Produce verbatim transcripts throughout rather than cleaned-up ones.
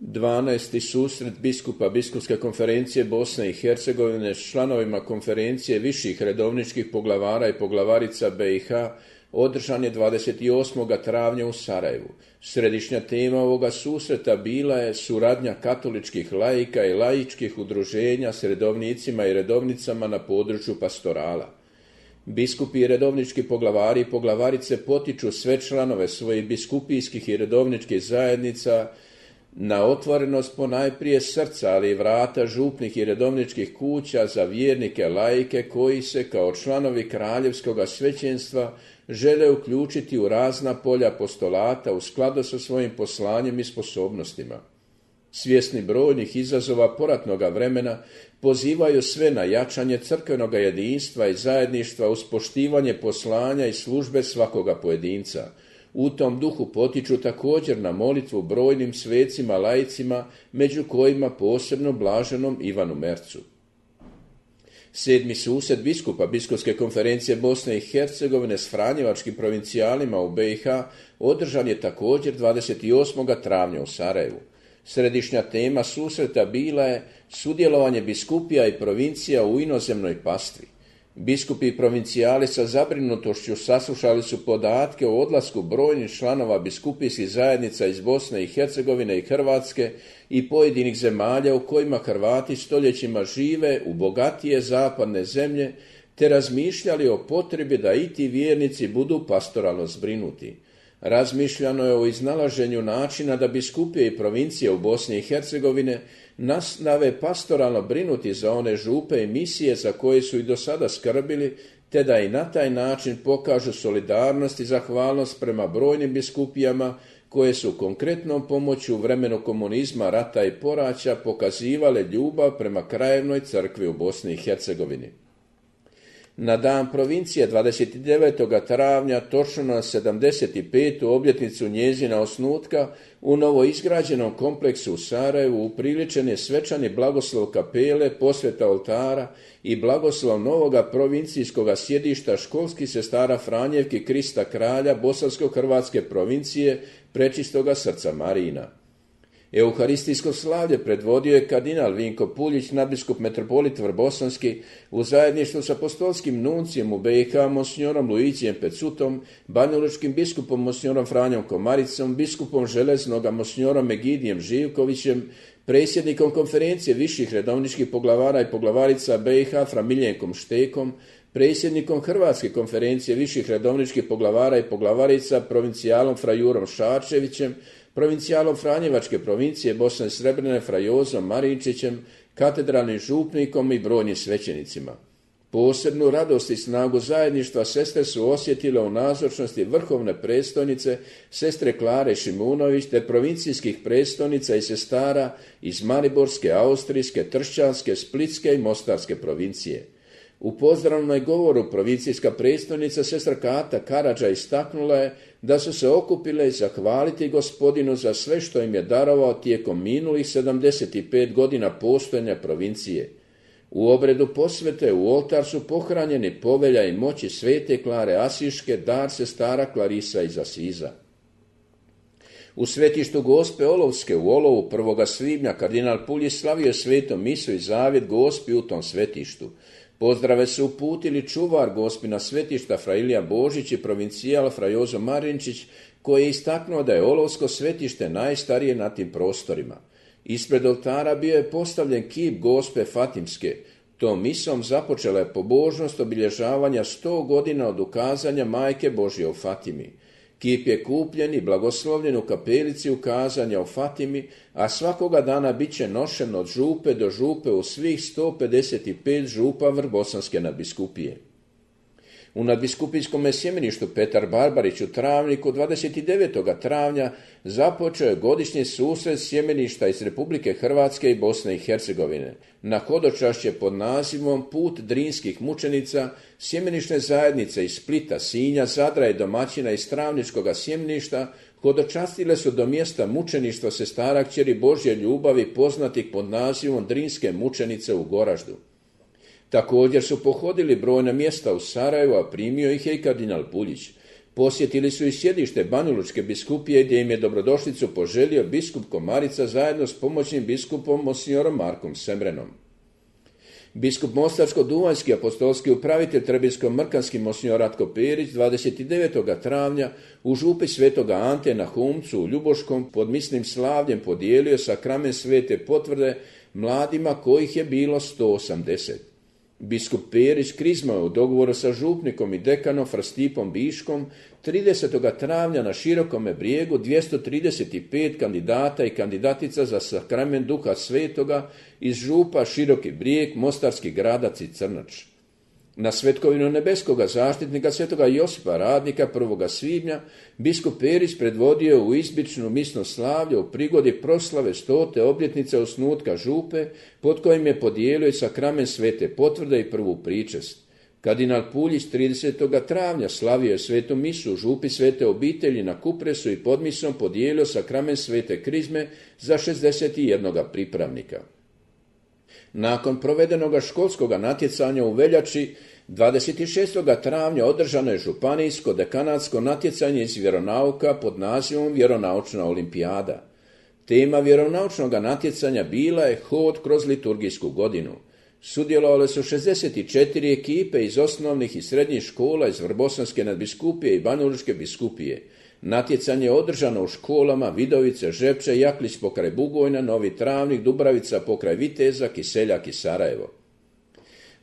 dvanaesti susret biskupa Biskupske konferencije Bosne i Hercegovine s članovima konferencije viših redovničkih poglavara i poglavarica B i H održan je dvadeset osmog travnja u Sarajevu. Središnja tema ovoga susreta bila je suradnja katoličkih laika i laičkih udruženja s redovnicima i redovnicama na području pastorala. Biskupi i redovnički poglavari i poglavarice potiču sve članove svojih biskupijskih i redovničkih zajednica na otvorenost ponajprije srca, ali i vrata župnih i redovničkih kuća za vjernike laike koji se kao članovi kraljevskoga svećenstva žele uključiti u razna polja apostolata u skladu sa svojim poslanjem i sposobnostima. Svjesni brojnih izazova poratnoga vremena, pozivaju sve na jačanje crkvenog jedinstva i zajedništva uz poštivanje poslanja i službe svakoga pojedinca. U tom duhu potiču također na molitvu brojnim svecima laicima, među kojima posebno blaženom Ivanu Mercu. Sedmi susret biskupa Biskupske konferencije Bosne i Hercegovine s franjevačkim provincijalima u B i H održan je također dvadeset osmog travnja u Sarajevu. Središnja tema susreta bila je sudjelovanje biskupija i provincija u inozemnoj pastvi. Biskupi i provincijali sa zabrinutošću saslušali su podatke o odlasku brojnih članova biskupijskih zajednica iz Bosne i Hercegovine i Hrvatske i pojedinih zemalja u kojima Hrvati stoljećima žive u bogatije zapadne zemlje, te razmišljali o potrebi da i ti vjernici budu pastoralno zbrinuti. Razmišljano je o iznalaženju načina da biskupije i provincije u Bosni i Hercegovine nastave pastoralno brinuti za one župe i misije za koje su i do sada skrbili, te da i na taj način pokažu solidarnost i zahvalnost prema brojnim biskupijama koje su konkretnom pomoću u vremenu komunizma, rata i poraća pokazivale ljubav prema krajevnoj crkvi u Bosni i Hercegovini. Na dan provincije dvadeset devetog travnja, točno na sedamdeset petu obljetnicu njezina osnutka, u novoizgrađenom kompleksu u Sarajevu upriličen je svečani blagoslov kapele, posveta oltara i blagoslov novoga provincijskoga sjedišta školskih sestara Franjevki Krista Kralja Bosansko-Hrvatske provincije Prečistoga srca Marina. Euharistijsko slavlje predvodio je kardinal Vinko Puljić, nadbiskup metropolit Vrbosanski, u zajedništvu s apostolskim nuncijem u B i H monsinjorom Luigijem Pecutom, banjalučkim biskupom monsinjorom Franjom Komaricom, biskupom Železnoga monsinjorom Egidijem Živkovićem, predsjednikom konferencije viših redovničkih poglavara i poglavarica B i H fra Miljenkom Štekom, predsjednikom Hrvatske konferencije viših redovničkih poglavara i poglavarica provincijalom fra Jurom Šarčevićem, provincijalom Franjevačke provincije Bosne i Srebrene fra Jozom Marinčićem, katedralnim župnikom i brojnim svećenicima. Posebnu radost i snagu zajedništva sestre su osjetile u nazočnosti vrhovne predstojnice, sestre Klare Šimunović, te provincijskih predstojnica i sestara iz Mariborske, Austrijske, Tršćanske, Splitske i Mostarske provincije. U pozdravnoj govoru provincijska predstojnica sestra Kata Karadža istaknula je da su se okupile zahvaliti Gospodinu za sve što im je darovao tijekom minulih sedamdeset pet godina postojanja provincije. U obredu posvete u oltar su pohranjeni povelja i moći svete Klare Asiške, dar sestara Klarisa iz Asiza. U svetištu Gospe Olovske u Olovu prvoga svibnja kardinal Puljić slavio svetom misu i zavjet Gospi u tom svetištu. Pozdrave su uputili čuvar Gospina svetišta fra Ilija Božić i provincijal fra Jozo Marinčić, koji je istaknuo da je Olovsko svetište najstarije na tim prostorima. Ispred oltara bio je postavljen kip Gospe Fatimske. Tom misom započela je pobožnost obilježavanja sto godina od ukazanja Majke Božje u Fatimi. Kip je kupljen i blagoslovljen u kapelici ukazanja u Fatimi, a svakoga dana bit će nošen od župe do župe u svih sto pedeset pet župa Vrbosanske nadbiskupije. U nadbiskupijskom sjemeništu Petar Barbarić u Travniku dvadeset devetog travnja započeo je godišnji susret sjemeništa iz Republike Hrvatske i Bosne i Hercegovine. Na hodočašće pod nazivom Put drinskih mučenica sjemenišne zajednice iz Splita, Sinja, Zadra i domaćina iz Travničkoga sjemeništa hodočastile su do mjesta mučeništva sestara kćeri Božje ljubavi poznatih pod nazivom Drinske mučenice u Goraždu. Također su pohodili brojna mjesta u Sarajevu, a primio ih je i kardinal Puljić. Posjetili su i sjedište Banjalučke biskupije gdje im je dobrodošlicu poželio biskup Komarica zajedno s pomoćnim biskupom monsignorom Markom Semrenom. Biskup Mostarsko-duvanjski apostolski upravitelj Trebinsko-mrkanski monsinjor Ratko Perić dvadeset devetog travnja u župi Svetoga Ante na Humcu u Ljuboškom pod misnim slavljem podijelio sakrament svete potvrde mladima kojih je bilo sto osamdeset. Biskup Perić krizmao u dogovoru sa župnikom i dekanom Fra Stipom Biškom tridesetog travnja na Širokome brijegu dvjesto trideset pet kandidata i kandidatica za sakrament Duha Svetoga iz župa Široki brijeg, Mostarski Gradac i Crnač. Na svetkovinu nebeskoga zaštitnika svetoga Josipa Radnika prvog svibnja biskup Perić predvodio u izbičnu misno slavlje u prigodi proslave stote obljetnice osnutka župe, pod kojim je podijelio i sakrament svete potvrde i prvu pričest. Kardinal Puljić tridesetog travnja slavio je svetu misu u župi Svete obitelji na Kupresu i pod misom podijelio sakrament svete krizme za šezdeset jedan pripravnika. Nakon provedenoga školskoga natjecanja u veljači, dvadeset šestog travnja održano je županijsko dekanatsko natjecanje iz vjeronauka pod nazivom Vjeronaučna olimpijada. Tema vjeronaučnog natjecanja bila je hod kroz liturgijsku godinu. Sudjelovale su šezdeset četiri ekipe iz osnovnih i srednjih škola iz Vrbosanske nadbiskupije i Banjalučke biskupije. Natjecanje je održano u školama Vidovice, Žepče, Jaklić pokraj Bugojna, Novi Travnik, Dubravica pokraj Viteza, Kiseljak i Sarajevo.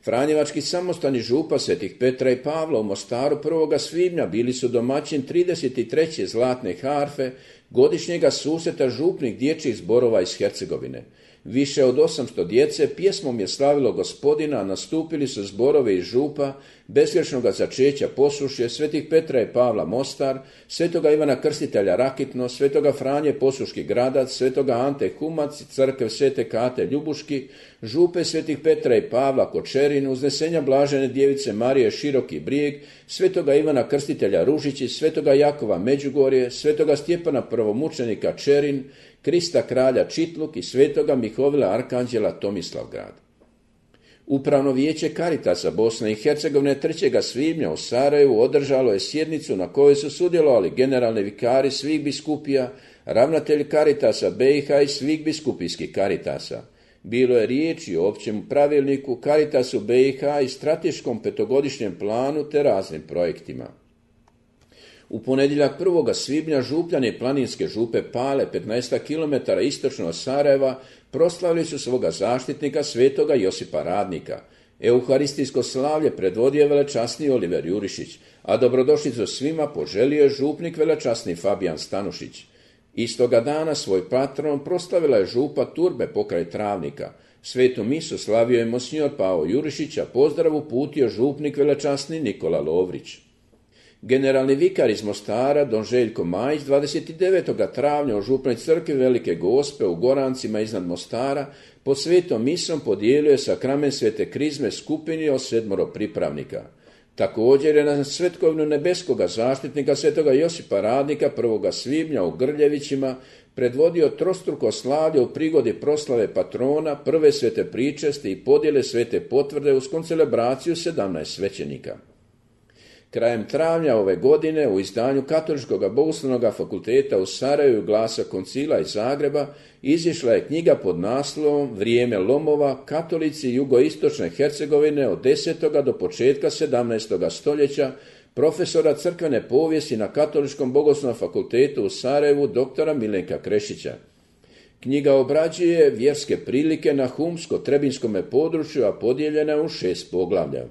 Franjevački samostani župa Svetih Petra i Pavla u Mostaru prvog svibnja bili su domaćin trideset treće zlatne harfe, godišnjega susreta župnih dječjih zborova iz Hercegovine. Više od osamsto djece pjesmom je slavilo Gospodina, a nastupili su zborovi iz župa Bezgrešnoga začeća Posušje, Svetih Petra i Pavla Mostar, Svetoga Ivana Krstitelja Rakitno, Svetoga Franje Posuški Gradac, Svetoga Ante Humac, Crkve Svete Kate Ljubuški, župe Svetih Petra i Pavla Kočerin, Uznesenja Blažene Djevice Marije Široki brijeg, Svetoga Ivana Krstitelja Ružići, Svetoga Jakova Međugorje, Svetoga Stjepana Prvomučenika Čerin, Krista Kralja Čitluk i Svetoga Mihovila Arkanđela Tomislavgrad. Upravno vijeće Karitasa Bosne i Hercegovine trećeg svibnja u Sarajevu održalo je sjednicu na kojoj su sudjelovali generalni vikari svih biskupija, ravnatelj Karitasa B i H i svih biskupijskih Karitasa. Bilo je riječi o općem pravilniku Karitasu B i H i strateškom petogodišnjem planu te raznim projektima. U ponedjeljak prvog svibnja župljani planinske župe Pale, petnaest kilometara istočno od Sarajeva, proslavili su svoga zaštitnika svetoga Josipa Radnika. Euharistijsko slavlje predvodio je velečasni Oliver Jurišić, a dobrodošlicu svima poželio je župnik velečasni Fabijan Stanušić. Istoga dana svoj patron proslavila je župa Turbe pokraj Travnika. Svetu misu slavio je monsinjor Pao Jurišić, a pozdrav uputio župnik velečasni Nikola Lovrić. Generalni vikar iz Mostara, don Željko Majić, dvadeset devetog travnja u župnoj crkvi Velike Gospe u Gorancima iznad Mostara pod svetom misom podijelio je sakrament svete krizme skupini od sedmoro pripravnika. Također je na svetkovinu nebeskoga zaštitnika svetoga Josipa Radnika prvog svibnja u Grljevićima predvodio trostruko slavlje u prigodi proslave patrona, prve svete pričesti i podjele svete potvrde uz koncelebraciju sedamnaest svećenika. Krajem travnja ove godine u izdanju Katoličkog bogoslovnog fakulteta u Sarajevu i Glasa koncila iz Zagreba izišla je knjiga pod naslovom Vrijeme lomova, katolici jugoistočne Hercegovine od desetog do početka sedamnaestog stoljeća profesora crkvene povijesti na Katoličkom bogoslovnom fakultetu u Sarajevu doktora Milenka Krešića. Knjiga obrađuje vjerske prilike na humsko-trebinskome području, a podijeljena u šest poglavlja.